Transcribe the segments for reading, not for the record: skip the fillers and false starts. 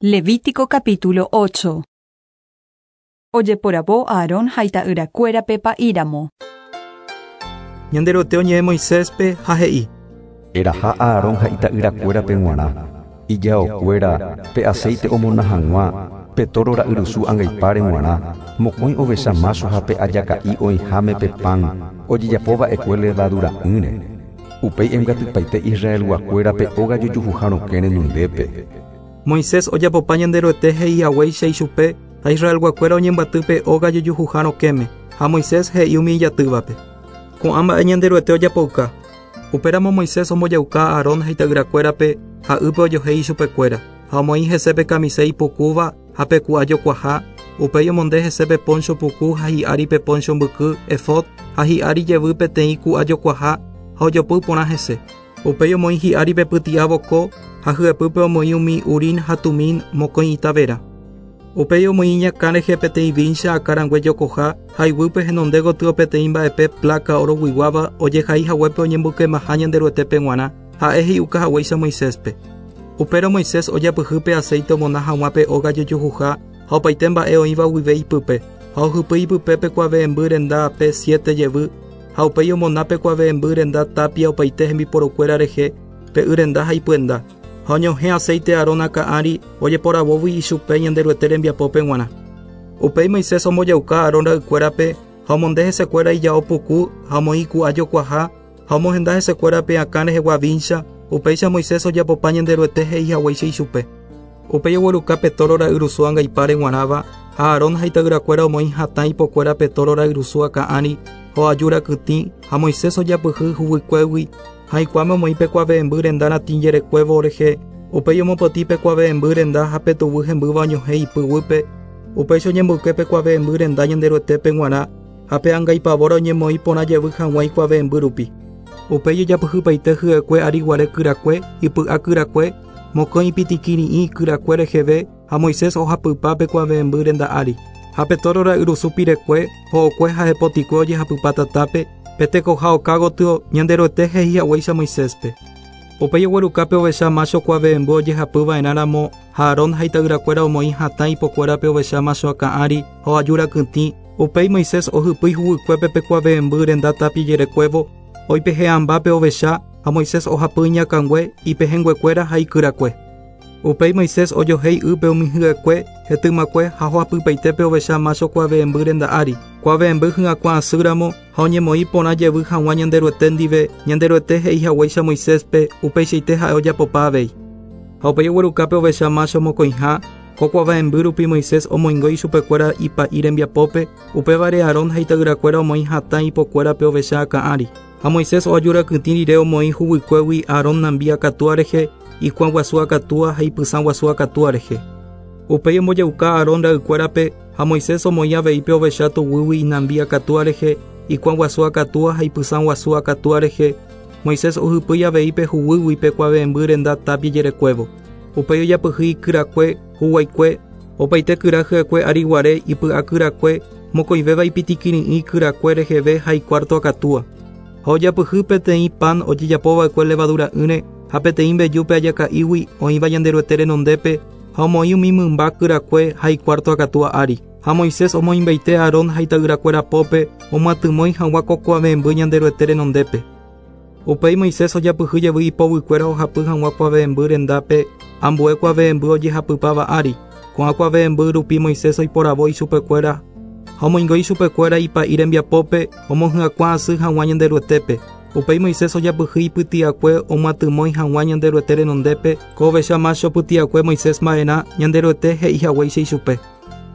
Levítico capítulo 8. Ojeporavo Aarón ha ita'yrakuérape pa'íramo. Ñanderuete oñe'ẽ Moiséspe ha he'i. Eraha Aarón ha ita'yrakuérape g̃uarã, ijaokuéra, pe aceite omona hag̃ua, pe tóro ra'yrusu angaipáre g̃uarã, mokõi ovecha mácho ha pe ajaka'i oĩháme pe pan ojejapova'ekue levadura'ỹre. Upéi embyatypaite Israelguakuérape óga jojuhuha rokẽ renondépe. Moisés ojapopa Ñanderuete he'i haguéicha ichupe, ha Israelguakuéra oñembyaty pe óga jojuhuha rokẽme, ha Moisés he'i umi ijatývape. Ko'ã mba'e Ñanderuete ojapouka. Upéramo Moisés ombojauka Aarón ha ita'yrakuérape, ha ýpe ojohéi ichupekuéra, ha omoĩ hese pe kamise ipukúva ha pe ku'a jokuaha, upéi omonde hese pe póncho puku ha hi'ári pe póncho mbyky, efod, ha hi'ári jevy peteĩ ku'a jokuaha ha ojopy porã hese. Upéi omoĩ hi'ári pe pyti'a voko ha hyepýpe omoĩ umi Urim ha Tumim mokõi ita vera. Upéi omoĩ iñakã rehe peteĩ víncha akãrangue jokoha ha iguýpe henonde gotyo peteĩ mba'epe pláka oroguiguáva ojehai haguépe oñemboykemaha Ñanderuetépe g̃uarã, ha'e he'iuka haguéicha Moiséspe. Upérõ Moisés ojapyhy pe aséite omona hag̃ua pe óga jojohuha ha opaite mba'e oĩva guive ipype, ha ohypýi ipype pe kuave'ẽmby renda pe siéte jevy, Ha upéi omona pe kuave'ẽmby renda tápia opaite hembiporukuéra rehe, pe y renda ha ipyenda. Ha oñohẽ aséite Aarón akã ári, ojeporavógui ichupe Ñanderuete rembiapópe g̃uarã. Upéi Moisés ombojauka Aarón ra'ykuérape, ha omonde hesekuéra ijao puku, ha omoĩ iku'a jokuaha, ha omohenda hesekuéra pe akã rehegua víncha, upéicha Moisés ojapopa Ñanderuete he'i haguéicha ichupe. Upéi ogueruka pe tóro ra'yrusu angaipáre g̃uarãva, ha Aarón ha ita'yrakuéra omoĩ hatã ipokuéra pe tóro ra'yrusu akã ári, ho'aju rakytĩ, ha Moisés ojapyhy huguykuégui, ha ikuãme omoĩ pe kuave'ẽmby renda ratĩ jerekuévo rehe, upéi omopotĩ pe kuave'ẽmby renda ha pe tuguy hembýva oñohẽ ipy guýpe, upéicha oñemboyke pe kuave'ẽmby renda Ñanderuetépe g̃uarã, ha pe angaipavóra oñemoĩ porã jevy hag̃ua ikuave'ẽmby rupi. Upéi ojapyhypaite hyekue ariguare kyrakue, ipy'a kyrakue, Mokõi ipitikiri'ĩ kyrakue reheve ha Moisés ohapypa pe kuave'ẽmby renda ári. Ha pe tóro ra'yrusu pirekue, ho'okue ha hepotikue ojehapypa tatápe, pe tekoha oka gotyo, Ñanderuete he'i haguéicha Moiséspe. Upéi ogueruka pe ovecha mácho kuave'ẽmby ojehapy va'erã ramo, ha Aarón ha ita'yrakuéra omoĩ hatã ipokuéra pe ovecha mácho akã ári ha oaju rakytĩ, upéi Moisés ohypýi huguykuépe pe kuave'ẽmby renda tápia jerekuévo, Oipehe'ãmba pe ovecha, ha Moisés ohapy iñakãngue, ipehẽnguekuéra ha ikyrakue. Upéi Moisés ojohéi ýpe umi hyekue, hetymakue ha hoapypaite pe ovecha mácho kuave'ẽmby renda ári, kuave'ẽmby hyakuã asy ramo ha oñemoĩ porã jevy hag̃ua Ñanderuete ndive, Ñanderuete he'i haguéicha Moiséspe, upeichaite ha'e ojapopa avei. Ha upéi ogueruka pe ovecha mácho mokõiha, ko kuave'ẽmby rupi Moisés omoingo ichupekuéra ipa'i rembiapópe, Upévare Aarón ha ita'yrakuéra omoĩ hatã ipokuéra pe ovecha akã ári. Ha Moisés oajurakytĩ rire omoĩ huguykuégui Aarón nambi akatúa rehe, ikuã guasu akatúa ha ipysã guasu akatúa rehe. Upéi ombojauka Aarón ra'ykuérape, ha Moisés omoĩ avei pe ovecha tuguýgui inambi akatúa rehe, ikuã guasu akatúa ha ipysã guasu akatúa rehe, Moisés ohypýi avei pe huguýgui pe kuave'ẽmby renda tápia jerekuévo. Upéi ojapyhy ikyrakue, huguaikue, opaite kyra hyekue ári guare, ipy'a kyrakue, mokõivéva ipitikiri'ĩ kyrakue reheve ha ikuárto akatúa. Ha ojapyhy peteĩ pan ojejapo va'ekue levadura'ỹre ha peteĩ mbeju pe ajaka'ígui oĩva Ñanderuete renondépe, ha omoĩ umi mymba kyrakue ha ikuárto akatúa ári. Ha Moisés omoĩmbaite Aarón ha ita'yrakuéra pópe omyatymói hag̃ua ko kuave'ẽmby Ñanderuete renondépe. Upéi Moisés ojapyhy jevy ipovykuéra ohapy hag̃ua kuave'ẽmby rendápe ambue kuave'ẽmby ojehapypáva ári. Ko'ã kuave'ẽmby rupi Moisés oiporavo ichupekuéra ha omoingo ichupekuéra ipa'i rembiapópe omohyakuã asy hag̃ua Ñanderuetépe. Upéi Moisés ojapyhy ipyti'akue omyatymói hag̃ua Ñanderuete renondépe, ko ovecha mácho pyti'akue Moisés mba'erã Ñanderuete he'i haguéicha ichupe.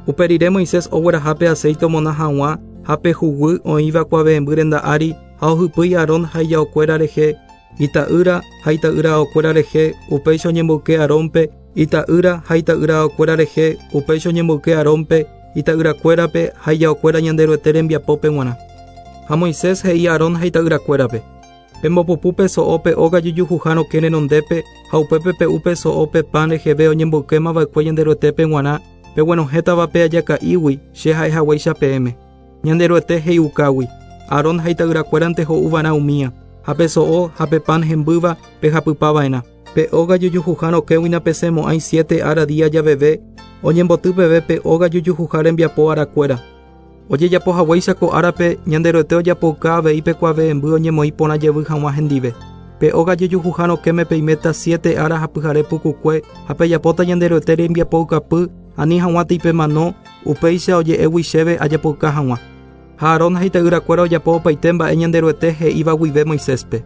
Upe rire Moisés ogueraha pe aséite omona hag̃ua ha pe huguy oĩva kuave'ẽmby renda ári ha ohypýi Aarón ha ijaokuéra rehe, ita'ýra ha ita'yraaokuéra rehe, upéicha oñemboyke Aarónpe, ita'ýra ha ita'yraaokuéra rehe, upéicha oñemboyke Aarónpe, ita'yrakuérape ha ijaokuéra Ñanderuete rembiapópe g̃uarã. Ha Moisés he'i Aarón ha ita'yrakuérape, Pembopupu pe so'o pe óga jojuhuha rokẽ renondépe ha upépe pe'u pe so'o pe pan reheve oñemboykéma va'ekue Ñanderuetépe g̃uarã, peguenohẽtava pe ajaka'ígui, che ha'e haguéicha peẽme. Ñanderuete he'iukágui, Aarón ha ita'yrakuérante ho'u va'erã umía, ha pe so'o ha pe pan hembýva pehapypa va'erã. Pe óga jojuhuha rokẽgui napesẽmo'ãi siete ára día javeve, oñemboty peve pe óga jojuhuha rembiapo arakuéra. Ojejapo haguéicha ko árape, Ñanderuete ojapouka avei pe kuave'ẽmby oñemoĩ porã jevy hag̃ua hendive. Pe óga jojuhuha rokẽme peiméta siete ára ha pyhare pukukue ha pejapóta Ñanderuete rembiapoukapy ani hag̃uátei pemano, upéicha oje'égui chéve ajapouka hag̃ua. Ha Aarón ha ita'yrakuéra ojapo opaite mba'e Ñanderuete he'íva guive Moiséspe.